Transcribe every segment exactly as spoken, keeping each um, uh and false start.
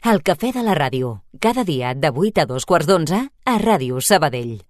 El cafè de la ràdio, cada dia de vuit a dos quarts d'onze a Ràdio Sabadell.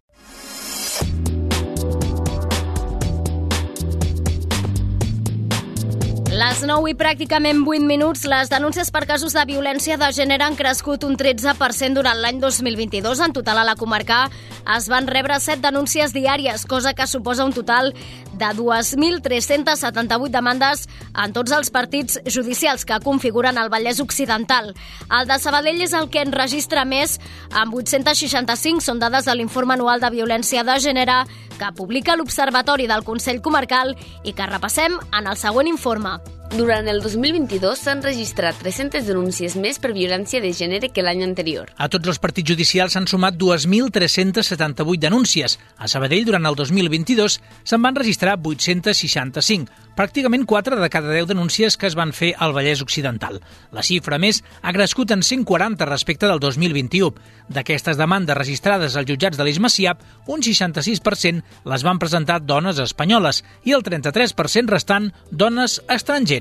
Les nou i pràcticament vuit minuts, les denúncies per casos de violència de gènere han crescut un tretze per cent durant l'any dos mil vint-i-dos. En total, a la comarca es van rebre set denúncies diàries, cosa que suposa un total de dos mil tres-cents setanta-vuit demandes en tots els partits judicials que configuren el Vallès Occidental. El de Sabadell és el que en registra més, amb vuit-cents seixanta-cinc. Són dades de l'informe anual de violència de gènere que publica l'Observatori del Consell Comarcal i que repassem en el següent informe. Durant el dos mil vint-i-dos s'han registrat tres-centes denúncies més per violència de gènere que l'any anterior. A tots els partits judicials s'han sumat dos mil tres-cents setanta-vuit denúncies. A Sabadell, durant el dos mil vint-i-dos, se'n van registrar vuit-cents seixanta-cinc, pràcticament quatre de cada deu denúncies que es van fer al Vallès Occidental. La xifra, a més, ha crescut en cent quaranta respecte del dos mil vint-i-u. D'aquestes demandes registrades als jutjats de l'Eix Macià, un seixanta-sis per cent les van presentar dones espanyoles i el trenta-tres per cent restant dones estrangeres.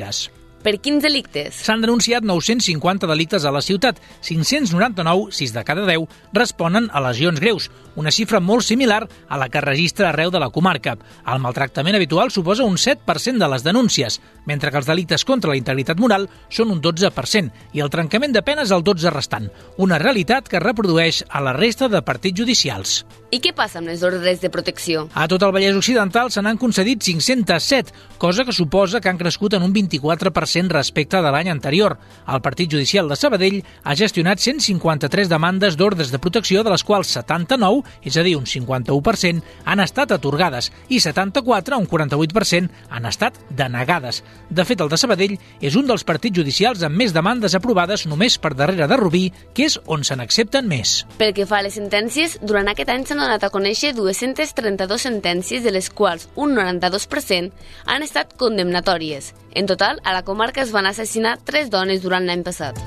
Per quins delictes? S'han denunciat nou-cents cinquanta delictes a la ciutat, cinc-cents noranta-nou, sis de cada deu, responen a lesions greus, una xifra molt similar a la que registra arreu de la comarca. El maltractament habitual suposa un set per cent de les denúncies, mentre que els delictes contra la integritat moral són un dotze per cent i el trencament de penes el dotze per cent restant, una realitat que es reprodueix a la resta de partits judicials. I què passa amb les ordres de protecció? A tot el Vallès Occidental se n'han concedit cinc-cents set, cosa que suposa que han crescut en un vint-i-quatre per cent respecte de l'any anterior. El Partit Judicial de Sabadell ha gestionat cent cinquanta-tres demandes d'ordres de protecció, de les quals setanta-nou, és a dir, un cinquanta-u per cent, han estat atorgades i setanta-quatre, un quaranta-vuit per cent, han estat denegades. De fet, el de Sabadell és un dels partits judicials amb més demandes aprovades, només per darrere de Rubí, que és on se n'accepten més. Pel que fa a les sentències, durant aquest any s'han donat a conèixer dues-centes trenta-dues sentències, de les quals un noranta-dos per cent han estat condemnatòries. En total, a la comarca es van assassinar tres dones durant l'any passat.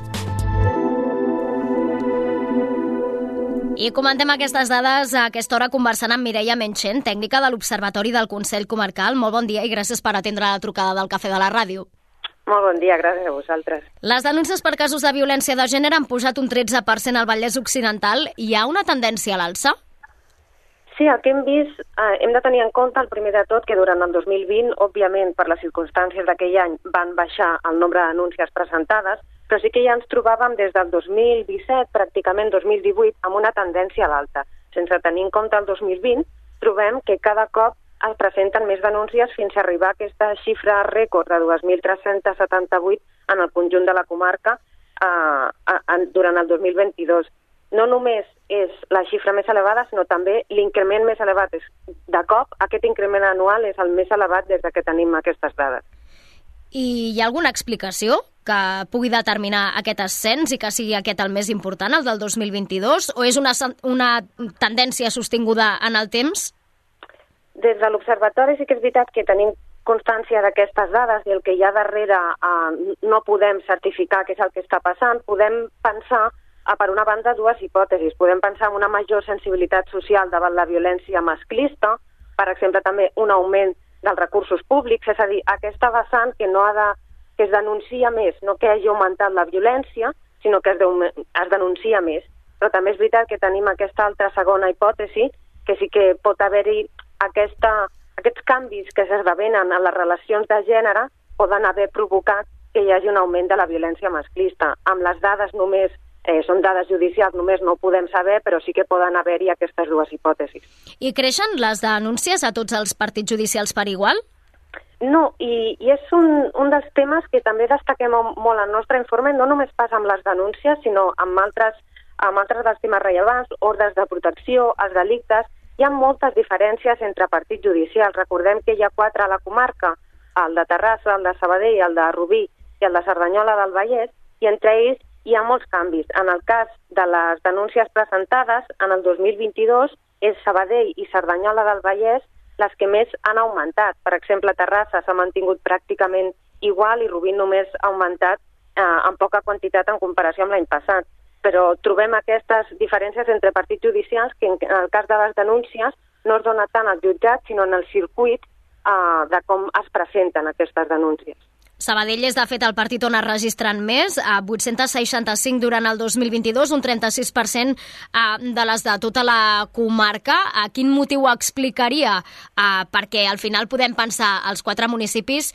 I comentem aquestes dades a aquesta hora conversant amb Mireia Menchen, tècnica de l'Observatori del Consell Comarcal. Molt bon dia i gràcies per atendre la trucada del Cafè de la Ràdio. Molt bon dia, gràcies a vosaltres. Les denúncies per casos de violència de gènere han pujat un tretze per cent al Vallès Occidental. Hi ha una tendència a l'alça? Sí, el que hem vist, eh, hem de tenir en compte, el primer de tot, que durant el dos mil vint, òbviament, per les circumstàncies d'aquell any, van baixar el nombre de denúncies presentades, però sí que ja ens trobàvem des del dos mil disset, pràcticament dos mil divuit, amb una tendència a l'alta. Sense tenir en compte el dos mil vint, trobem que cada cop es presenten més denúncies fins a arribar a aquesta xifra rècord de dos mil tres-cents setanta-vuit en el conjunt de la comarca eh, eh, durant el dos mil vint-i-dos. No només és la xifra més elevada, sinó també l'increment més elevat. De cop, aquest increment anual és el més elevat des que tenim aquestes dades. I hi ha alguna explicació que pugui determinar aquest ascens i que sigui aquest el més important, el del dos mil vint-i-dos, o és una, una tendència sostinguda en el temps? Des de l'Observatori sí que és veritat que tenim constància d'aquestes dades i el que hi ha darrere eh, no podem certificar què és el que està passant. Podem pensar, a, per una banda, dues hipòtesis. Podem pensar en una major sensibilitat social davant la violència masclista, per exemple, també un augment dels recursos públics, és a dir, aquesta vessant que no ha de, que es denuncia més, no que hagi augmentat la violència, sinó que es, de, es denuncia més. Però també és veritat que tenim aquesta altra segona hipòtesi, que sí que pot haver-hi aquesta, aquests canvis que s'esdevenen en les relacions de gènere poden haver provocat que hi hagi un augment de la violència masclista. Amb les dades només, eh, són dades judicials, només no ho podem saber, però sí que poden haver-hi aquestes dues hipòtesis. I creixen les denúncies a tots els partits judicials per igual? No, i, i és un, un dels temes que també destaquem molt al nostre informe, no només passa amb les denúncies, sinó amb altres, amb altres dels temes rellevants, ordres de protecció, els delictes. Hi ha moltes diferències entre partits judicials. Recordem que hi ha quatre a la comarca, el de Terrassa, el de Sabadell, el de Rubí i el de Cerdanyola del Vallès, i entre ells hi ha molts canvis. En el cas de les denúncies presentades, en el dos mil vint-i-dos, és Sabadell i Cerdanyola del Vallès les que més han augmentat. Per exemple, Terrassa s'ha mantingut pràcticament igual i Rubí només ha augmentat eh, en poca quantitat en comparació amb l'any passat. Però trobem aquestes diferències entre partits judicials que en el cas de les denúncies no es dona tant al jutjat, sinó en el circuit eh, de com es presenten aquestes denúncies. Sabadell és, de fet, el partit on es registren més, a vuit-cents seixanta-cinc durant el dos mil vint-i-dos, un trenta-sis per cent de les de tota la comarca. Quin motiu explicaria? Perquè al final podem pensar els quatre municipis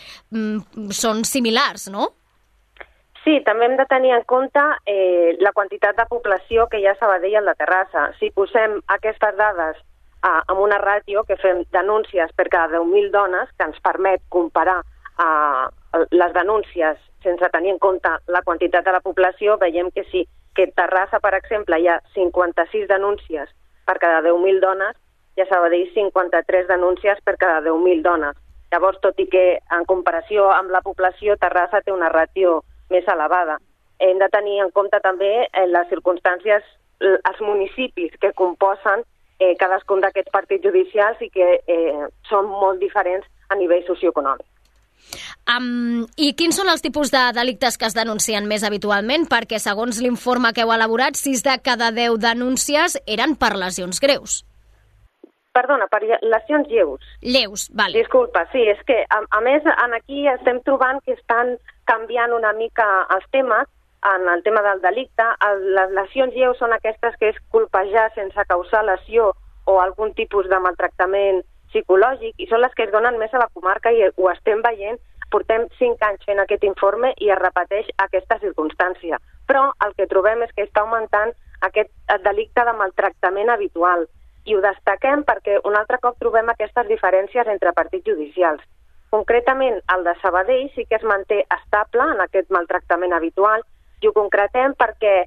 són similars, no? Sí, també hem de tenir en compte eh, la quantitat de població que hi ha a Sabadell i a la Terrassa. Si posem aquestes dades eh, amb una ràtio que fem denúncies per cada deu mil dones, que ens permet comparar eh, les denúncies sense tenir en compte la quantitat de la població, veiem que sí, que a Terrassa, per exemple, hi ha cinquanta-sis denúncies per cada deu mil dones i a Sabadell cinquanta-tres denúncies per cada deu mil dones. Llavors, tot i que en comparació amb la població, Terrassa té una ràtio més elevada. Hem de tenir en compte també eh, les circumstàncies, els municipis que composen eh, cadascun d'aquests partits judicials i que eh, són molt diferents a nivell socioeconòmic. Um, I quins són els tipus de delictes que es denuncien més habitualment? Perquè, segons l'informe que heu elaborat, sis de cada deu denúncies eren per lesions greus. Perdona, per lesions lleus. Lleus, vale. Disculpa, sí, és que, a, a més, en aquí estem trobant que estan canviant una mica els temes. En el tema del delicte, les lesions lleus són aquestes que és colpejar sense causar lesió o algun tipus de maltractament psicològic, i són les que es donen més a la comarca i ho estem veient. Portem cinc anys fent aquest informe i es repeteix aquesta circumstància. Però el que trobem és que està augmentant aquest delicte de maltractament habitual. I ho destaquem perquè un altre cop trobem aquestes diferències entre partits judicials. Concretament, el de Sabadell sí que es manté estable en aquest maltractament habitual, i ho concretem perquè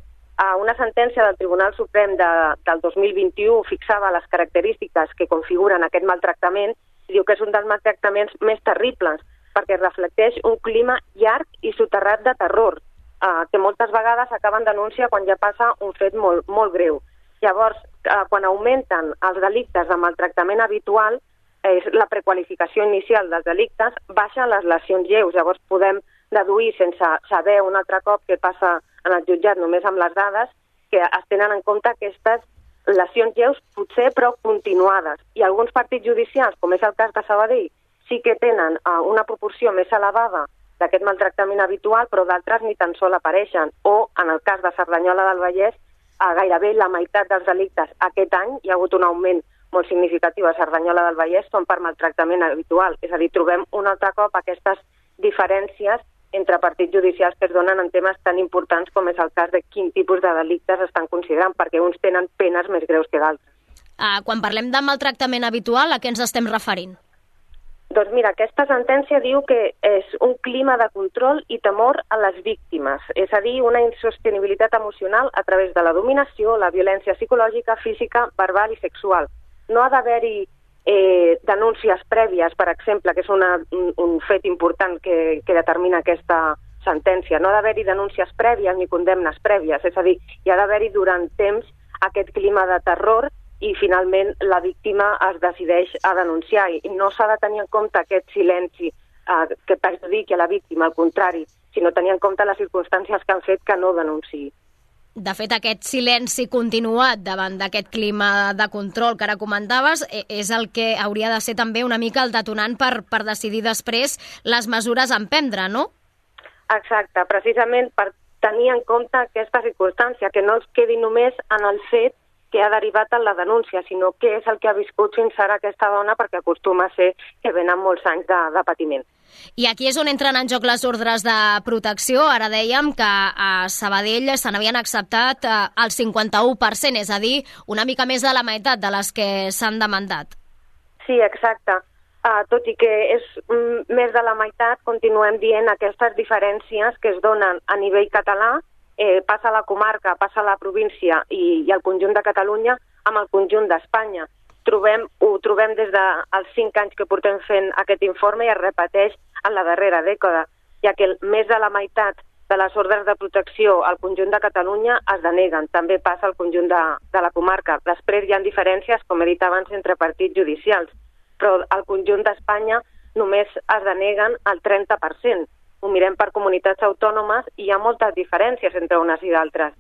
una sentència del Tribunal Suprem de, del dos mil vint-i-u fixava les característiques que configuren aquest maltractament i diu que és un dels maltractaments més terribles perquè reflecteix un clima llarg i soterrat de terror, eh, que moltes vegades acaba en denúncia quan ja passa un fet molt, molt greu. Llavors, eh, quan augmenten els delictes de maltractament habitual, eh, la prequalificació inicial dels delictes, baixen les lesions lleus. Llavors podem deduir sense saber un altre cop què passa en el jutjat només amb les dades, que es tenen en compte aquestes lesions lleus potser però continuades. I alguns partits judicials, com és el cas de Sabadell, sí que tenen uh, una proporció més elevada d'aquest maltractament habitual, però d'altres ni tan sol apareixen. O, en el cas de Cerdanyola del Vallès, uh, gairebé la meitat dels delictes aquest any, hi ha hagut un augment molt significatiu a Cerdanyola del Vallès, són per maltractament habitual. És a dir, trobem un altre cop aquestes diferències entre partits judicials que es donen en temes tan importants com és el cas de quin tipus de delictes estan considerant, perquè uns tenen penes més greus que d'altres. Uh, quan parlem de maltractament habitual, a què ens estem referint? Doncs mira, aquesta sentència diu que és un clima de control i temor a les víctimes, és a dir, una insostenibilitat emocional a través de la dominació, la violència psicològica, física, verbal i sexual. No ha d'haver-hi Eh, denúncies prèvies, per exemple, que és una, un, un fet important que, que determina aquesta sentència. No ha d'haver-hi denúncies prèvies ni condemnes prèvies, és a dir, hi ha d'haver-hi durant temps aquest clima de terror i finalment la víctima es decideix a denunciar. I no s'ha de tenir en compte aquest silenci eh, que perjudiqui a la víctima, al contrari, sinó tenir en compte les circumstàncies que han fet que no denunciï. De fet, aquest silenci continuat davant d'aquest clima de control que ara comentaves és el que hauria de ser també una mica el detonant per, per decidir després les mesures a emprendre, no? Exacte, precisament per tenir en compte aquesta circumstància, que no es quedi només en el fet que ha derivat en la denúncia, sinó què és el que ha viscut fins ara aquesta dona, perquè acostuma a ser que venen molts anys de, de patiment. I aquí és on entren en joc les ordres de protecció. Ara dèiem que a Sabadell se n'havien acceptat el cinquanta-u per cent, és a dir, una mica més de la meitat de les que s'han demandat. Sí, exacte. Uh, tot i que és mm, més de la meitat, continuem dient aquestes diferències que es donen a nivell català, eh, passa a la comarca, passa a la província i, i al conjunt de Catalunya amb el conjunt d'Espanya. Trobem, ho trobem des dels cinc anys que portem fent aquest informe i es repeteix en la darrera dècada, ja que més de la meitat de les ordres de protecció al conjunt de Catalunya es deneguen. També passa al conjunt de, de la comarca. Després hi ha diferències, com he dit abans, entre partits judicials, però al conjunt d'Espanya només es deneguen el trenta per cent. Ho mirem per comunitats autònomes i hi ha moltes diferències entre unes i d'altres.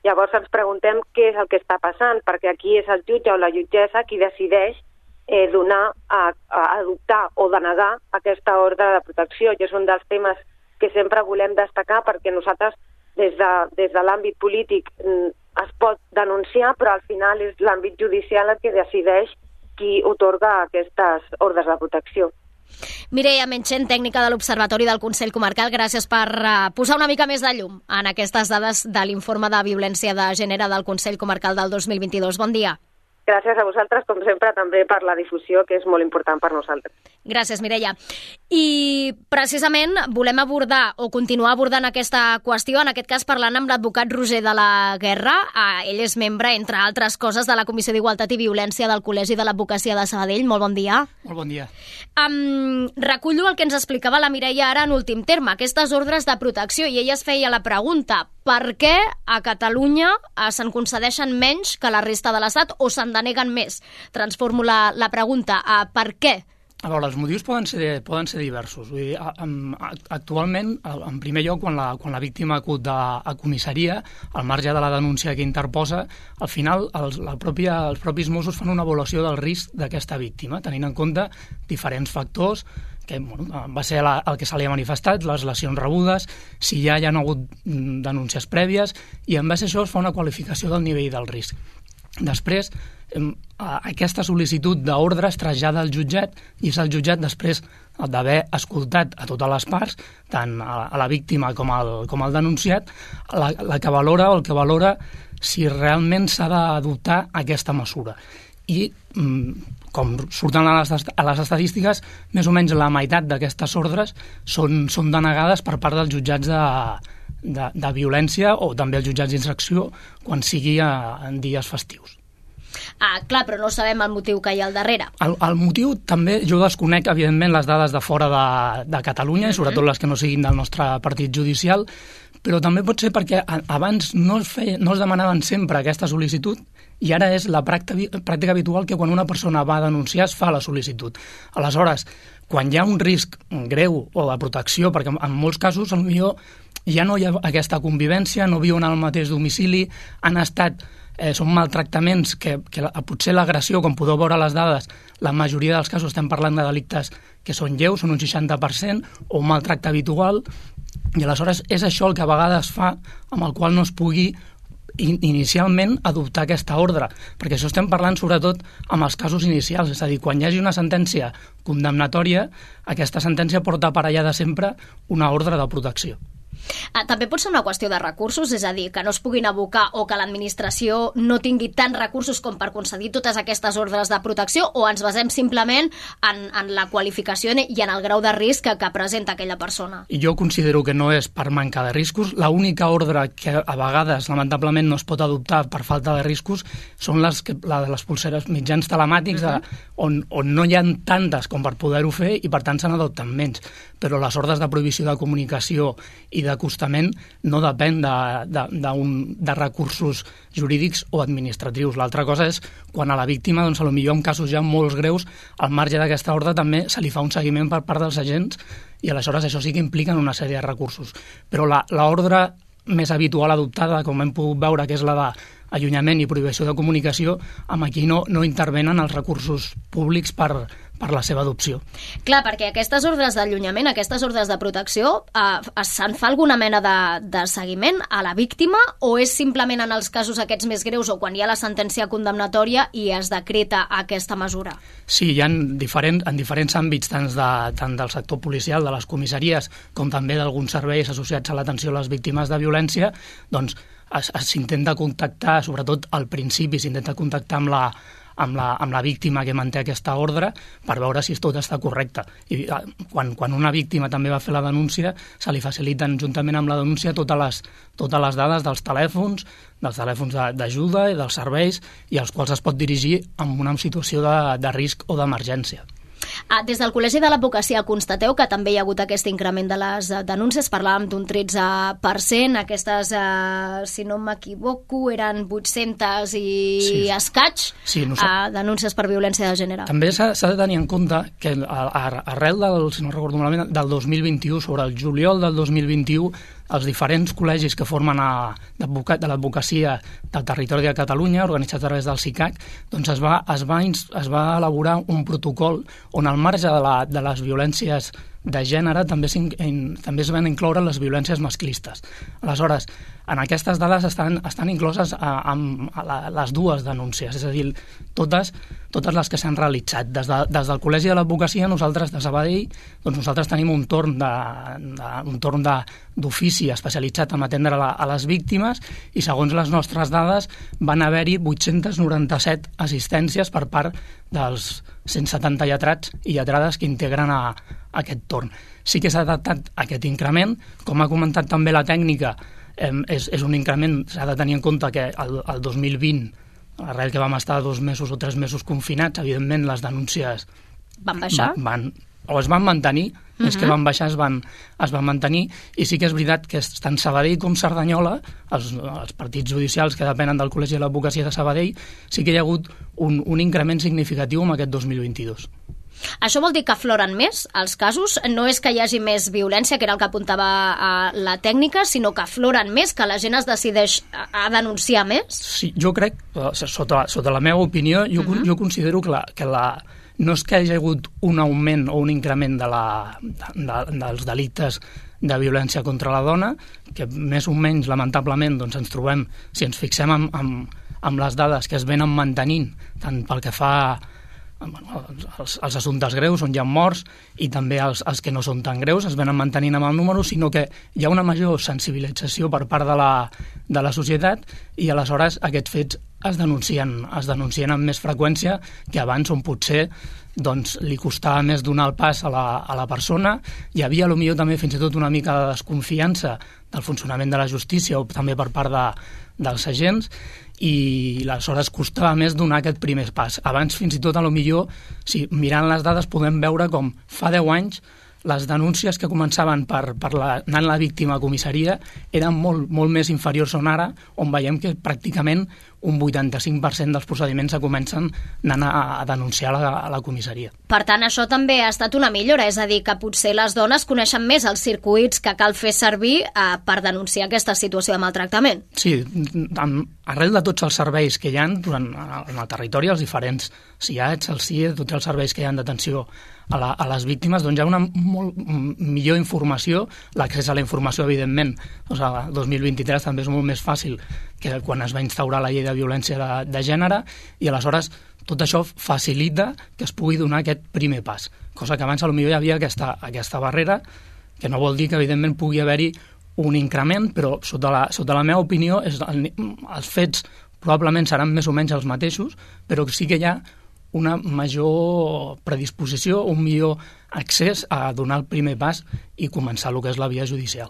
Llavors ens preguntem què és el que està passant, perquè aquí és el jutge o la jutgessa qui decideix eh, donar, a, a adoptar o denegar aquesta ordre de protecció, i és un dels temes que sempre volem destacar, perquè nosaltres des de, des de l'àmbit polític es pot denunciar, però al final és l'àmbit judicial el que decideix qui otorga aquestes ordres de protecció. Mireia Menchen, tècnica de l'Observatori del Consell Comarcal, gràcies per uh, posar una mica més de llum en aquestes dades de l'informe de violència de gènere del Consell Comarcal del dos mil vint-i-dos. Bon dia. Gràcies a vosaltres, com sempre, també per la difusió, que és molt important per nosaltres. Gràcies, Mireia. I precisament volem abordar o continuar abordant aquesta qüestió, en aquest cas parlant amb l'advocat Roger de la Guerra. Ell és membre, entre altres coses, de la Comissió d'Igualtat i Violència del Col·legi de l'Advocacia de Sabadell. Molt bon dia. Molt bon dia. Um, recullo el que ens explicava la Mireia ara en últim terme, aquestes ordres de protecció, i ella es feia la pregunta: per què a Catalunya se'n concedeixen menys que la resta de l'Estat o se'n deneguen més? Transformo la, la pregunta a per què? A veure, els motius poden ser, poden ser diversos. Vull dir, actualment, en primer lloc, quan la, quan la víctima acut a, a comissaria, al marge de la denúncia que interposa, al final els, la pròpia, els propis Mossos fan una avaluació del risc d'aquesta víctima, tenint en compte diferents factors, que bueno, va ser la, el que se li ha manifestat, les lesions rebudes, si ja hi ha hagut denúncies prèvies, i en base a això es fa una qualificació del nivell del risc. Després, aquesta sol·licitud d'ordre es trasllada al jutjat i és el jutjat, després d'haver escoltat a totes les parts, tant a la víctima com al, com al denunciat, la, la que valora o el que valora si realment s'ha d'adoptar aquesta mesura. I, com surten a les, a les estadístiques, més o menys la meitat d'aquestes ordres són, són denegades per part dels jutjats de, de, de violència o també els jutjats d'instrucció quan sigui a, en dies festius. Ah, clar, però no sabem el motiu que hi ha al darrere. El, el motiu també, jo desconec, evidentment, les dades de fora de, de Catalunya, uh-huh. i sobretot les que no siguin del nostre partit judicial, però també pot ser perquè abans no es, feia, no es demanaven sempre aquesta sol·licitud i ara és la pràctica, pràctica habitual que quan una persona va a denunciar es fa la sol·licitud. Aleshores, quan hi ha un risc greu o de protecció, perquè en molts casos potser ja no hi ha aquesta convivència, no viuen al mateix domicili, han estat... Eh, són maltractaments que, que la, potser l'agressió, com podeu veure a les dades, la majoria dels casos estem parlant de delictes que són lleus, són un seixanta per cent, o un maltracte habitual, i aleshores és això el que a vegades fa amb el qual no es pugui in, inicialment adoptar aquesta ordre, perquè això estem parlant sobretot amb els casos inicials, és a dir, quan hi hagi una sentència condemnatòria, aquesta sentència porta aparellada sempre una ordre de protecció. Ah, també pot ser una qüestió de recursos, és a dir, que no es puguin abocar o que l'administració no tingui tants recursos com per concedir totes aquestes ordres de protecció, o ens basem simplement en, en la qualificació i en el grau de risc que, que presenta aquella persona? Jo considero que no és per manca de riscos. L'única ordre que a vegades, lamentablement, no es pot adoptar per falta de riscos són les, que, la de les pulseres mitjans telemàtics, uh-huh. de, on, on no hi ha tantes com per poder-ho fer i per tant se n'adopten menys. Però les ordres de prohibició de comunicació i d'acostament no depèn de, de, de, un, de recursos jurídics o administratius. L'altra cosa és quan a la víctima, doncs, potser en casos ja molt greus, al marge d'aquesta ordre també se li fa un seguiment per part dels agents i aleshores això sí que implica una sèrie de recursos. Però l'ordre més habitual adoptada, com hem pogut veure, que és la d'allunyament i prohibició de comunicació, amb aquí no, no intervenen els recursos públics per, per la seva adopció. Clar, perquè aquestes ordres d'allunyament, aquestes ordres de protecció, eh, se'n fa alguna mena de, de seguiment a la víctima o és simplement en els casos aquests més greus o quan hi ha la sentència condemnatòria i es decreta aquesta mesura? Sí, hi ha diferent, en diferents àmbits, tant, de, tant del sector policial, de les comissaries, com també d'alguns serveis associats a l'atenció a les víctimes de violència, doncs s'intenta contactar, sobretot al principi, s'intenta contactar amb la, amb la, amb la víctima que manté aquesta ordre per veure si tot està correcte. I quan, quan una víctima també va fer la denúncia, se li faciliten juntament amb la denúncia totes les, totes les dades dels telèfons, dels telèfons d'ajuda i dels serveis i als quals es pot dirigir en una situació de, de risc o d'emergència. Ah, des del Col·legi de l'Advocacia constateu que també hi ha hagut aquest increment de les denúncies, parlàvem d'un tretze per cent, aquestes, eh, si no m'equivoco, eren vuit-centes i sí. escaig sí, no sap... eh, denúncies per violència de gènere. També s'ha de tenir en compte que arrel del, si no recordo malament, del dos mil vint-i-u, sobre el juliol del dos mil vint-i-u, els diferents col·legis que formen a, de l'advocacia del territori de Catalunya, organitzats a través del C I C A C, doncs es va, es va, es va elaborar un protocol on al marge de, la, de les violències de gènere també, també es van incloure les violències masclistes. Aleshores, en aquestes dades estan, estan incloses a, a, a, la, a les dues denúncies, és a dir, totes, totes les que s'han realitzat. Des, de, des del Col·legi de l'Advocacia, nosaltres de Sabadell, doncs nosaltres tenim un torn de, de, un torn de, d'ofici especialitzat en atendre a, a les víctimes i segons les nostres dades van haver-hi vuit-cents noranta-set assistències per part dels cent setanta lletrats i lletrades que integren a, a aquest torn. Sí que s'ha adaptat aquest increment, com ha comentat també la tècnica, eh, és, és un increment, s'ha de tenir en compte que el, el dos mil vint, arrel que vam estar dos mesos o tres mesos confinats, evidentment les denúncies van baixar? Van, o es van mantenir, uh-huh. més que van baixar es van, es van mantenir, i sí que és veritat que tant Sabadell com Cerdanyola, els, els partits judicials que depenen del Col·legi de l'Advocacia de Sabadell, sí que hi ha hagut un, un increment significatiu en aquest dos mil vint-i-dos. Això vol dir que afloren més els casos? No és que hi hagi més violència, que era el que apuntava a la tècnica, sinó que afloren més, que la gent es decideix a denunciar més? Sí, jo crec, sota, sota la meva opinió, jo, uh-huh. jo considero que, la, que la, no és que hi hagi hagut un augment o un increment de la, de, de, dels delictes de violència contra la dona, que més o menys, lamentablement, doncs ens trobem, si ens fixem amb, amb, amb les dades que es venen mantenint, tant pel que fa Bueno, els, els assumptes greus on hi ha morts i també els, els que no són tan greus es venen mantenint amb el número, sinó que hi ha una major sensibilització per part de la, de la societat i aleshores aquests fets es denuncien, es denuncien amb més freqüència que abans, on potser doncs, li costava més donar el pas a la, a la persona. Hi havia potser també fins i tot una mica de desconfiança del funcionament de la justícia o també per part de, dels agents, i aleshores costava més donar aquest primer pas. Abans, fins i tot, a lo millor, si mirant les dades podem veure com fa deu anys les denúncies que començaven per, per la, anant la víctima a comissaria eren molt, molt més inferiors on ara, on veiem que pràcticament un vuitanta-cinc per cent dels procediments se comencen anant a, a denunciar a la, a la comissaria. Per tant, això també ha estat una millora, és a dir, que potser les dones coneixen més els circuits que cal fer servir eh, per denunciar aquesta situació de maltractament. Sí, amb, arrel de tots els serveis que hi ha durant, en el territori, els diferents S I A Ts, el S I E, tots els serveis que hi ha d'atenció a, la, a les víctimes, doncs hi ha una molt millor informació, l'accés a la informació, evidentment, doncs el dos mil vint-i-tres també és molt més fàcil que quan es va instaurar la llei de violència de, de gènere, i aleshores tot això facilita que es pugui donar aquest primer pas, cosa que abans potser hi havia aquesta, aquesta barrera, que no vol dir que evidentment pugui haver-hi un increment, però sota la, sota la meva opinió és, el, els fets probablement seran més o menys els mateixos, però sí que hi ha una major predisposició, un millor accés a donar el primer pas i començar el que és la via judicial.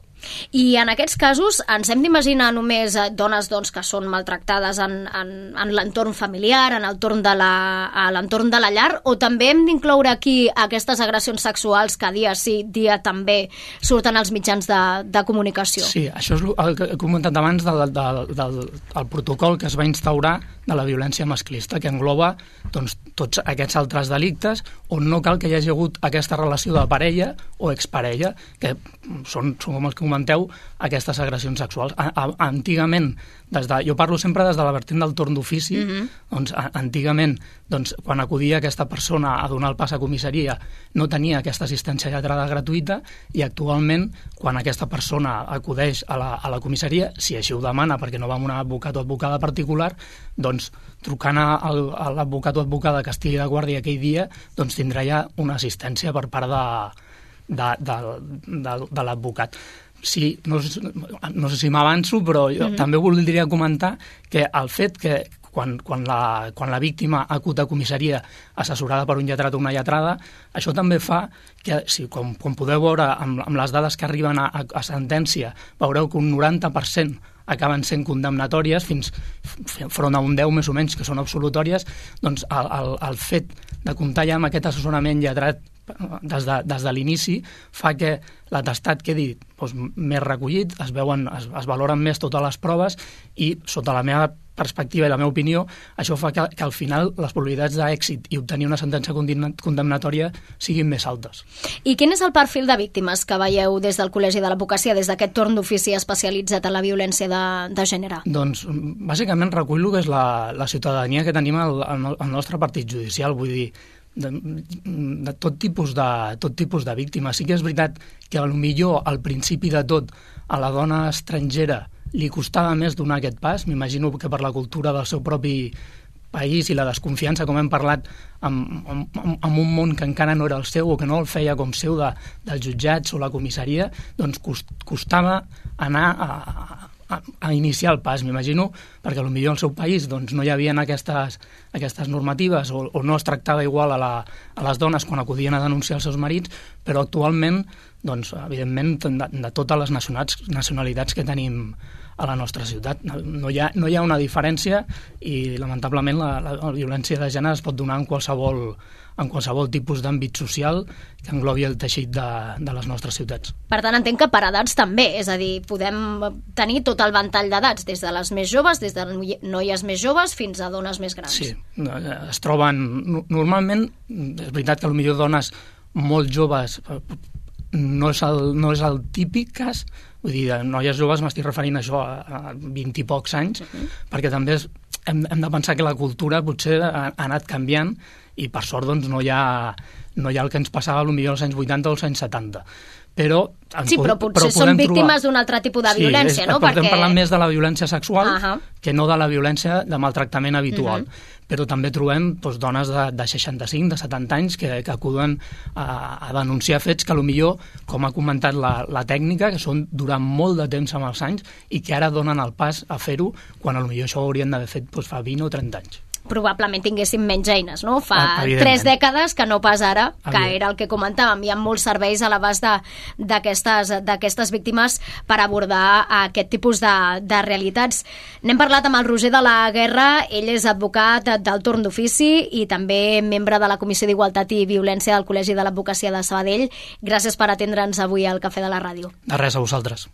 I en aquests casos ens hem d'imaginar només dones doncs, que són maltractades en, en, en l'entorn familiar, en l'entorn de, la, a l'entorn de la llar, o també hem d'incloure aquí aquestes agressions sexuals que dia sí, dia també surten als mitjans de, de comunicació? Sí, això és el que he comentat abans del, del, del, del protocol que es va instaurar de la violència masclista, que engloba doncs, tots aquests altres delictes on no cal que hi hagi hagut aquesta relació de parella o exparella, que són, són com els que comenteu, aquestes agressions sexuals. A, a, antigament, des de, jo parlo sempre des de la vertent del torn d'ofici, mm-hmm. doncs a, antigament, doncs, quan acudia aquesta persona a donar el pas a comissaria, no tenia aquesta assistència lletrada gratuïta, i actualment, quan aquesta persona acudeix a la, a la comissaria, si així ho demana, perquè no va amb un advocat o advocada particular, doncs trucant a, a l'advocat o advocada que estigui de guàrdia aquell dia, doncs tindrà ja una assistència per part de, de, de, de, de l'advocat. Sí, no, no sé si m'avanço, però jo mm-hmm. també voldria comentar que el fet que quan, quan, la, quan la víctima acut a comissaria assessorada per un lletrat o una lletrada, això també fa que, si, com, com podeu veure amb, amb les dades que arriben a, a, a sentència, veureu que un noranta per cent acaben sent condemnatòries, fins front a un deu més o menys que són absolutòries, doncs el, el, el fet de comptar ja amb aquest assessorament lletrat des de, des de l'inici fa que l'atestat quedi doncs, més recollit, es, veuen, es, es valoren més totes les proves i, sota la meva perspectiva i la meva opinió, això fa que, que al final les probabilitats d'èxit i obtenir una sentència condemnatòria siguin més altes. I quin és el perfil de víctimes que veieu des del Col·legi de l'Advocacia, des d'aquest torn d'ofici especialitzat en la violència de, de gènere? Doncs, bàsicament, recull el que és la, la ciutadania que tenim al, al nostre partit judicial. Vull dir, de, de tot tipus de, tot tipus de víctimes. Sí que és veritat que potser al principi de tot a la dona estrangera li costava més donar aquest pas, m'imagino que per la cultura del seu propi país i la desconfiança, com hem parlat, amb, amb, amb un món que encara no era el seu o que no el feia com seu de, dels jutjats o la comissaria, doncs cost, costava anar a, a, a iniciar el pas, m'imagino, perquè potser al seu país doncs, no hi havia aquestes, aquestes normatives o, o no es tractava igual a, la, a les dones quan acudien a denunciar els seus marits, però actualment, doncs, evidentment, de, de totes les nacionalitats que tenim a la nostra ciutat. No hi ha, no hi ha una diferència i, lamentablement, la, la, la violència de gènere es pot donar en qualsevol, en qualsevol tipus d'àmbit social que englobi el teixit de, de les nostres ciutats. Per tant, entenc que per edats també, és a dir, podem tenir tot el ventall d'edats, des de les més joves, des de noies més joves fins a dones més grans. Sí, es troben... Normalment, és veritat que potser dones molt joves no és el, no és el típic cas. Vull dir, de noies joves m'estic referint a això a vint i pocs anys, uh-huh. perquè també és, hem, hem de pensar que la cultura potser ha, ha anat canviant i per sort doncs, no, hi ha, no hi ha el que ens passava potser als anys vuitanta o als anys setanta. Però, sí, però potser però són víctimes d'un altre tipus de violència, sí, és, no? Perquè... Perquè... parlem més de la violència sexual uh-huh. que no de la violència de maltractament habitual. Uh-huh. Però també trobem doncs, dones de, de seixanta-cinc, de setanta anys que, que acuden a, a denunciar fets que potser, com ha comentat la, la tècnica, que són durant molt de temps amb els anys i que ara donen el pas a fer-ho quan potser això ho haurien d'haver fet doncs, fa vint o trenta anys. Probablement tinguéssim menys eines, no? Fa tres dècades que no pas ara, que era el que comentàvem. Hi ha molts serveis a l'abast d'aquestes víctimes per abordar aquest tipus de, de realitats. N'hem parlat amb el Roger de la Guerra, ell és advocat del torn d'ofici i també membre de la Comissió d'Igualtat i Violència del Col·legi de l'Advocacia de Sabadell. Gràcies per atendre'ns avui al Cafè de la Ràdio. De res, a vosaltres.